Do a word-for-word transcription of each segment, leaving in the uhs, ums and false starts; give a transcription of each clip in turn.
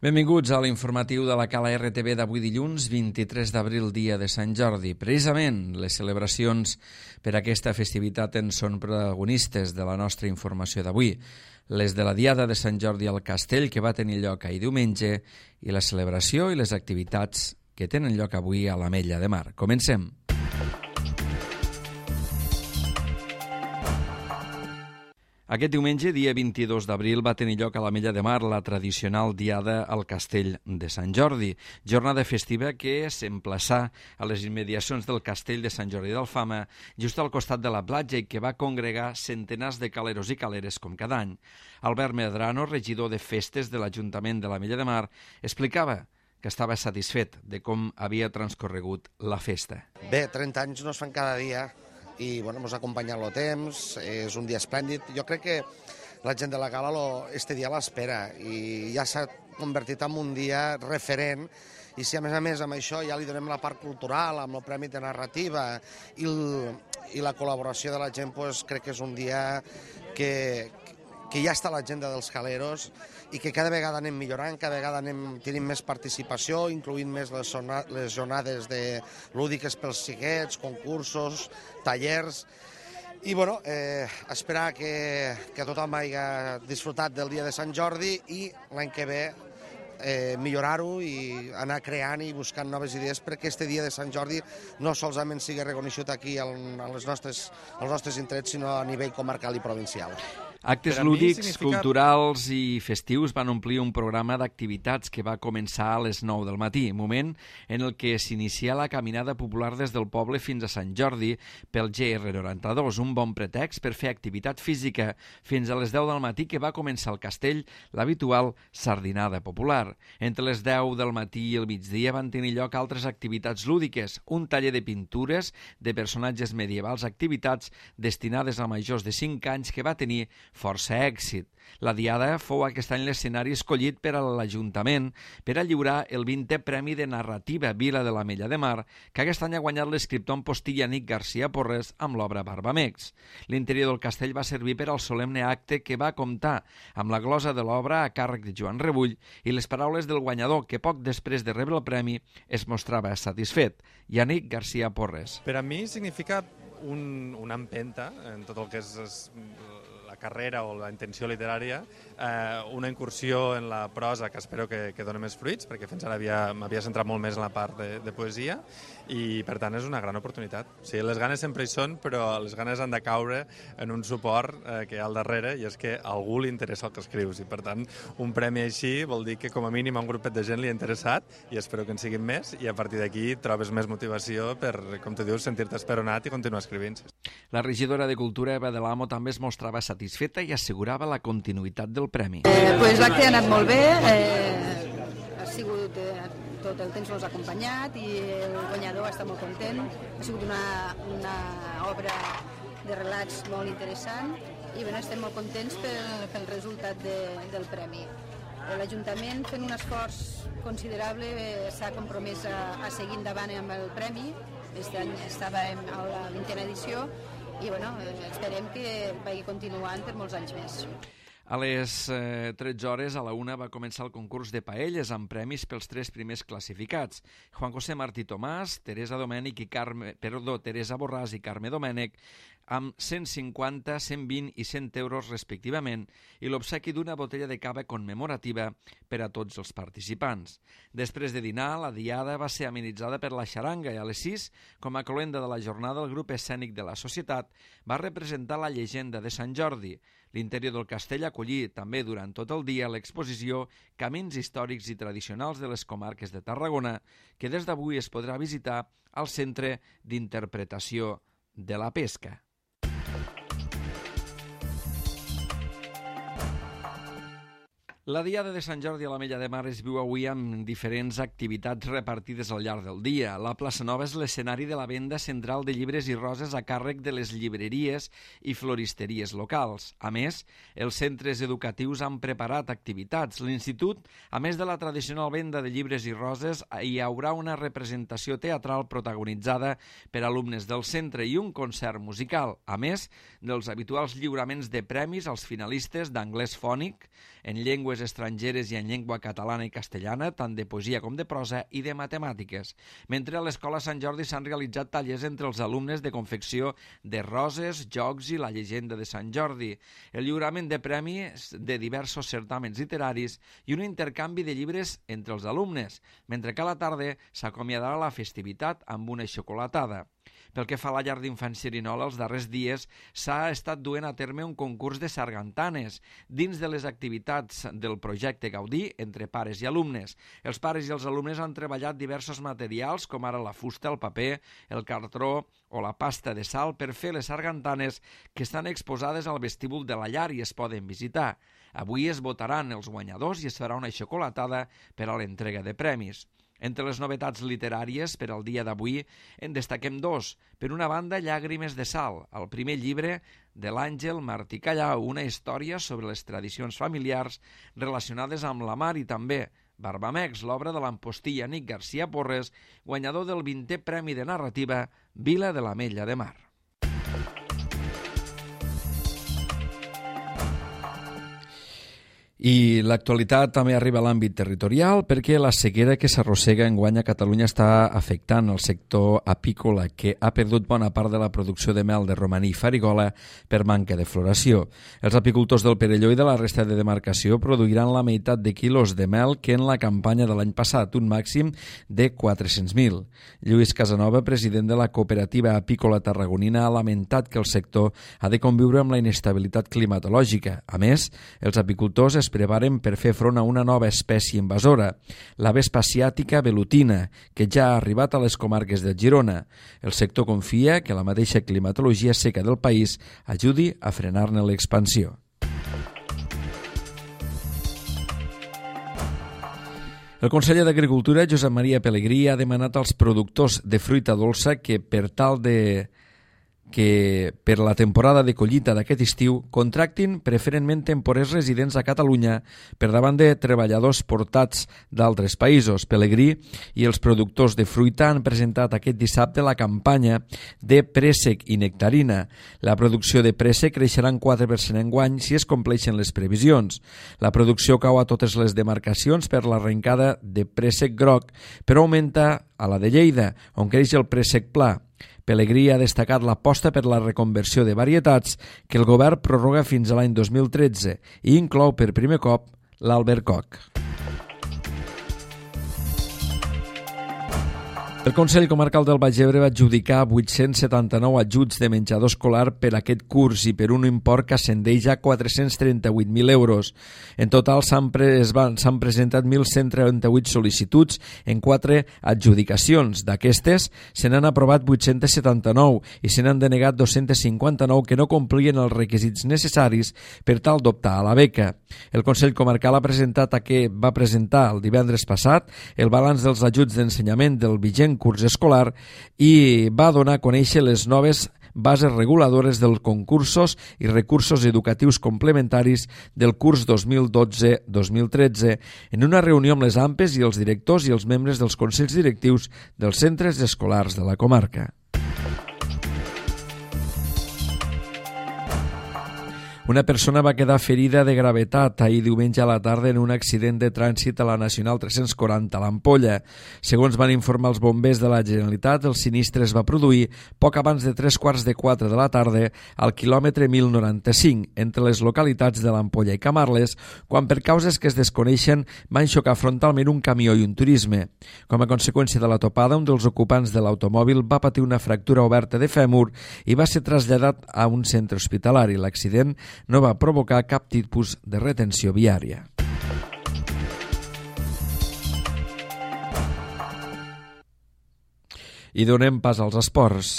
Benvinguts a l'informatiu de la Cala R T V d'avui dilluns, vint-i-tres d'abril, dia de Sant Jordi. Precisament, les celebracions per aquesta festivitat en són protagonistes de la nostra informació d'avui. Les de la Diada de Sant Jordi al Castell, que va tenir lloc ahir diumenge, i la celebració i les activitats que tenen lloc avui a l'Ametlla de Mar. Comencem. Aquest diumenge, dia vint-i-dos d'abril, va tenir lloc a l'Ametlla de Mar la tradicional Diada al Castell de Sant Jordi, jornada festiva que s'emplaçà a les immediacions del Castell de Sant Jordi d'Alfama, just al costat de la platja, i que va congregar centenars de caleros i caleres com cada any. Albert Medrano, regidor de festes de l'Ajuntament de l'Ametlla de Mar, explicava que estava satisfet de com havia transcorregut la festa. Bé, trenta anys no es fan cada dia, i bueno, ens ha acompanyat el temps, és un dia esplèndid. Jo crec que la gent de la Cala lo, este dia l'espera i ja s'ha convertit en un dia referent, i si a més a més amb això ja li donem la part cultural, amb el Premi de Narrativa i, el, i la col·laboració de la gent, pues, crec que és un dia que, que ja està a l'agenda dels caleros i que cada vegada anem millorant, cada vegada anem tenint més participació, incloent més les, zona, les jornades de lúdiques pels xiquets, concursos, tallers. I bueno, eh, esperar que, que tothom hagi disfrutat del dia de Sant Jordi i l'any que ve eh, millorar-ho i anar creant i buscant noves idees perquè este dia de Sant Jordi no solament sigui reconegut aquí a les nostres, als nostres indrets, sinó a nivell comarcal i provincial. Actes lúdics, significa... culturals i festius van omplir un programa d'activitats que va començar a les nou del matí, moment en el que s'inicia la caminada popular des del poble fins a Sant Jordi pel G R noranta-dos, un bon pretext per fer activitat física fins a les deu del matí, que va començar al castell l'habitual sardinada popular. Entre les deu del matí i el migdia van tenir lloc altres activitats lúdiques, un taller de pintures de personatges medievals, activitats destinades a majors de cinc anys que va tenir força èxit. La Diada fou aquest any l'escenari escollit per a l'Ajuntament per a lliurar el vintè Premi de Narrativa Vila de l'Ametlla de Mar, que aquest any ha guanyat l'escriptor en postilla Anic García Porres amb l'obra Barbamecs. L'interior del castell va servir per al solemne acte que va comptar amb la glosa de l'obra a càrrec de Joan Rebull i les paraules del guanyador, que poc després de rebre el premi es mostrava satisfet, Anic García Porres. Per a mi significa un, una empenta en tot el que és, és la carrera o la intenció literària, eh, una incursió en la prosa que espero que, que doni més fruits, perquè fins ara m'havia centrat molt més en la part de, de poesia, i per tant és una gran oportunitat. O sigui, les ganes sempre hi són, però les ganes han de caure en un suport eh, que hi ha al darrere, i és que a algú li interessa el que escrius, i per tant un premi així vol dir que com a mínim a un grupet de gent li ha interessat, i espero que en siguin més, i a partir d'aquí trobes més motivació per, com tu dius, sentir-te esperonat i continuar escrivint. La regidora de Cultura, Eva de l'Amo, també es mostrava satisfeta i assegurava la continuïtat del premi. Eh, pues l'acte ha anat molt bé, eh, ha sigut eh, tot el temps nos ha acompanyat i el guanyador està molt content. Ha sigut una, una obra de relats molt interessant i bueno, estem molt contents pel, pel resultat de, del premi. L'Ajuntament, fent un esforç considerable, eh, s'ha compromès a, a seguir endavant amb el premi. Aquest any estàvem a la vintena edició i bueno, esperem que vagi continuant per molts anys més. A les eh, tretze hores, a la una, va començar el concurs de paelles amb premis pels tres primers classificats. Juan José Martí Tomàs, Teresa Domènech i Carme, perdó, Teresa Borràs i Carme Domènech, amb cent cinquanta, cent vint i cent euros respectivament, i l'obsequi d'una botella de cava commemorativa per a tots els participants. Després de dinar, la diada va ser amenitzada per la xaranga i a les sis, com a cloenda de la jornada, el grup escènic de la societat va representar la llegenda de Sant Jordi. L'interior del castell acollí també durant tot el dia l'exposició Camins històrics i tradicionals de les comarques de Tarragona, que des d'avui es podrà visitar al Centre d'Interpretació de la Pesca. La Diada de Sant Jordi a l'Ametlla de Mar es viu avui amb diferents activitats repartides al llarg del dia. La plaça Nova és l'escenari de la venda central de llibres i roses a càrrec de les llibreries i floristeries locals. A més, els centres educatius han preparat activitats. L'Institut, a més de la tradicional venda de llibres i roses, hi haurà una representació teatral protagonitzada per alumnes del centre i un concert musical, a més dels habituals lliuraments de premis als finalistes d'anglès fònic, en llengües llengües estrangeres i en llengua catalana i castellana, tant de poesia com de prosa, i de matemàtiques. Mentre a l'Escola Sant Jordi s'han realitzat tallers entre els alumnes de confecció de roses, jocs i la llegenda de Sant Jordi, el lliurament de premis de diversos certàmens literaris i un intercanvi de llibres entre els alumnes, mentre que a la tarda s'acomiadarà la festivitat amb una xocolatada. Pel que fa a la llar d'infants Xerinola, els darrers dies s'ha estat duent a terme un concurs de sargantanes dins de les activitats del projecte Gaudí entre pares i alumnes. Els pares i els alumnes han treballat diversos materials, com ara la fusta, el paper, el cartró o la pasta de sal, per fer les sargantanes que estan exposades al vestíbul de la llar i es poden visitar. Avui es votaran els guanyadors i es farà una xocolatada per a l'entrega de premis. Entre les novetats literàries per al dia d'avui en destaquem dos. Per una banda, Llàgrimes de sal, el primer llibre de l'Àngel Martí Callau, una història sobre les tradicions familiars relacionades amb la mar, i també Barbamex, l'obra de l'ampostill Anic García Porres, guanyador del vintè Premi de Narrativa Vila de l'Ametlla de Mar. I l'actualitat també arriba a l'àmbit territorial perquè la sequera que s'arrossega enguany a Catalunya està afectant el sector apícola, que ha perdut bona part de la producció de mel de romaní i farigola per manca de floració. Els apicultors del Perelló i de la resta de demarcació produiran la meitat de quilos de mel que en la campanya de l'any passat, un màxim de quatre-cents mil. Lluís Casanova, president de la cooperativa apícola tarragonina, ha lamentat que el sector ha de conviure amb la inestabilitat climatològica. A més, els apicultors es preparen per fer front a una nova espècie invasora, la vespa asiàtica velutina, que ja ha arribat a les comarques de Girona. El sector confia que la mateixa climatologia seca del país ajudi a frenar-ne l'expansió. El conseller d'Agricultura, Josep Maria Pelegrí, ha demanat als productors de fruita dolça que per tal de que per la temporada de collita d'aquest estiu contractin preferentment temporers residents a Catalunya per davant de treballadors portats d'altres països. Pelegrí i els productors de fruita han presentat aquest dissabte la campanya de préssec i nectarina. La producció de préssec creixerà en quatre per cent enguany si es compleixen les previsions. La producció cau a totes les demarcacions per l'arrencada de préssec groc, però augmenta a la de Lleida, on creix el préssec pla. Pelegrí ha destacat l'aposta per la reconversió de varietats que el govern prorroga fins a l'any dos mil tretze i inclou per primer cop l'albercoc. El Consell Comarcal del Baix Ebre va adjudicar vuit-cents setanta-nou ajuts de menjador escolar per aquest curs i per un import que ascendeix a quatre-cents trenta-vuit mil euros. En total s'han pre s'han presentat mil cent trenta-vuit sol·licituds en quatre adjudicacions. D'aquestes, se n'han aprovat vuit-cents setanta-nou i se n'han denegat dos-cents cinquanta-nou que no complien els requisits necessaris per tal d'optar a la beca. El Consell Comarcal ha presentat a què va presentar el divendres passat el balanç dels ajuts d'ensenyament del vigent curs escolar i va donar a conèixer les noves bases reguladores dels concursos i recursos educatius complementaris del curs dos mil dotze dos mil tretze en una reunió amb les A M P E s i els directors i els membres dels consells directius dels centres escolars de la comarca. Una persona va quedar ferida de gravetat ahir diumenge a la tarda en un accident de trànsit a la Nacional tres-cents quaranta a l'Ampolla. Segons van informar els bombers de la Generalitat, el sinistre es va produir poc abans de tres quarts de quatre de la tarda al quilòmetre mil noranta-cinc, entre les localitats de l'Ampolla i Camarles, quan per causes que es desconeixen van xocar frontalment un camió i un turisme. Com a conseqüència de la topada, un dels ocupants de l'automòbil va patir una fractura oberta de fèmur i va ser traslladat a un centre hospitalari. L'accident no va provocar cap tipus de retenció viària. I donem pas als esports.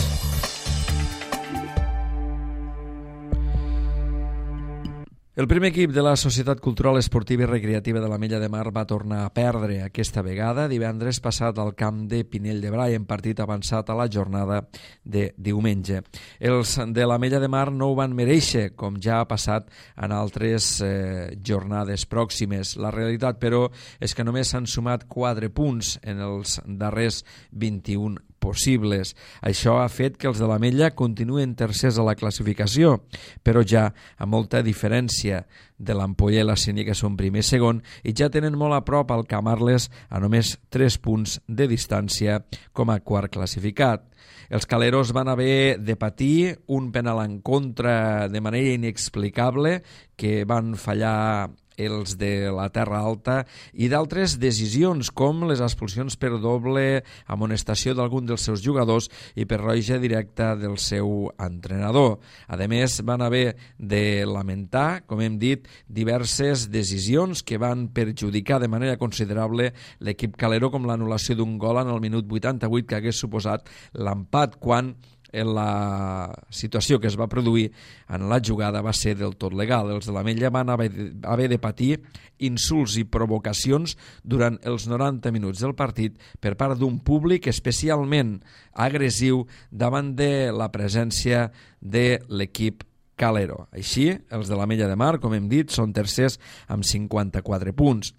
El primer equip de la Societat Cultural Esportiva i Recreativa de l'Ametlla de Mar va tornar a perdre aquesta vegada divendres passat al camp de Pinell de Brai en partit avançat a la jornada de diumenge. Els de l'Ametlla de Mar no ho van mereixer, com ja ha passat en altres eh, jornades pròximes. La realitat, però, és que només s'han sumat quatre punts en els darrers vint-i-un possibles. Això ha fet que els de l'Ametlla continuen tercers a la classificació, però ja amb molta diferència de l'Ampolla i la Sénia, que són primer i segon, i ja tenen molt a prop al Camarles a només tres punts de distància com a quart classificat. Els caleros van haver de patir un penal en contra de manera inexplicable que van fallar els de la Terra Alta i d'altres decisions com les expulsions per doble amonestació d'algun dels seus jugadors i per roja directa del seu entrenador. A més, van haver de lamentar, com hem dit, diverses decisions que van perjudicar de manera considerable l'equip calero, com l'anul·lació d'un gol en el minut vuitanta-vuit que hagués suposat l'empat, quan en la situació que es va produir en la jugada va ser del tot legal. Els de l'Ametlla van haver de patir insults i provocacions durant els noranta minuts del partit per part d'un públic especialment agressiu davant de la presència de l'equip calero. Així, els de l'Ametlla de Mar, com hem dit, són tercers amb cinquanta-quatre punts.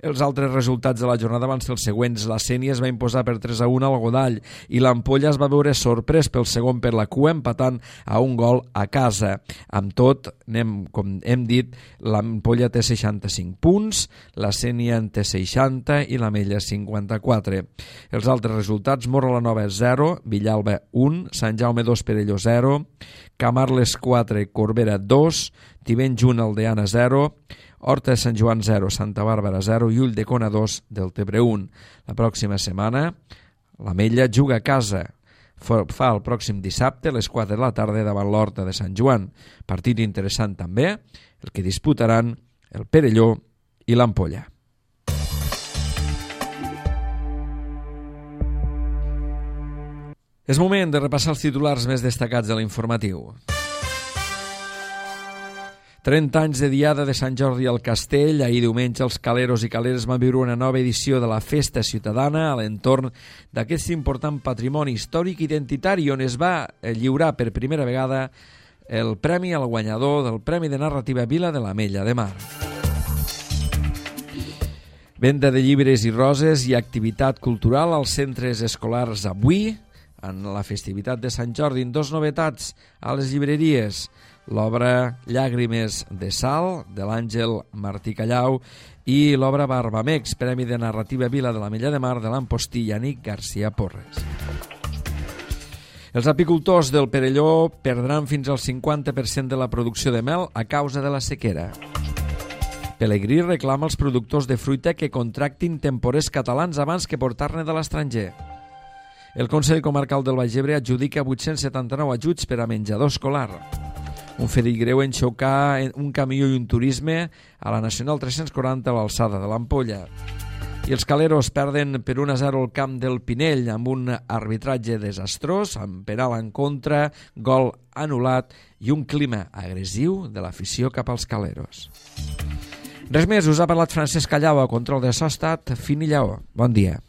Els altres resultats de la jornada van ser els següents. La Sénia es va imposar per tres a un al Godall i l'Ampolla es va veure sorprès pel segon per la cua, empatant a un gol a casa. Amb tot, anem, com hem dit, l'Ampolla té seixanta-cinc punts, la Sénia en té seixanta i l'Ametlla cinquanta-quatre. Els altres resultats: Móra-la-Nova zero, Villalba un, Sant Jaume dos, Perelló zero, Camarles quatre, Corbera dos, Tivenys un, Aldeana zero, Horta de Sant Joan zero, Santa Bàrbara zero i Ulldecona dos, Deltebre un. La pròxima setmana l'Ametlla juga a casa. Fa el pròxim dissabte a les quatre de la tarda davant l'Horta de Sant Joan. Partit interessant també, el que disputaran el Perelló i l'Ampolla. És moment de repassar els titulars més destacats de l'informatiu. trenta anys de diada de Sant Jordi al Castell. Ahir diumenge els caleros i caleres van viure una nova edició de la Festa Ciutadana a l'entorn d'aquest important patrimoni històric identitari, on es va lliurar per primera vegada el premi al guanyador del Premi de Narrativa Vila de l'Ametlla de Mar. Venda de llibres i roses i activitat cultural als centres escolars avui, en la festivitat de Sant Jordi. Dos novetats a les llibreries: l'obra Llàgrimes de Sal, de l'Àngel Martí Callau, i l'obra Barbamex, Premi de Narrativa Vila de l'Ametlla de Mar, de l'Ampostí Yannick García Porres. Els apicultors del Perelló perdran fins al cinquanta per cent de la producció de mel a causa de la sequera. Pelegrí reclama als productors de fruita que contractin temporers catalans abans que portar-ne de l'estranger. El Consell Comarcal del Baix Ebre adjudica vuit-cents setanta-nou ajuts per a menjador escolar. Un ferit greu en xocar un camió i un turisme a la Nacional tres-cents quaranta a l'alçada de l'Ampolla. I els caleros perden per un a zero al camp del Pinell amb un arbitratge desastrós, amb penal en contra, gol anul·lat i un clima agressiu de l'afició cap als caleros. Res més, us ha parlat Francesc Callau, a control de so ha estat Fini Lleó. Bon dia.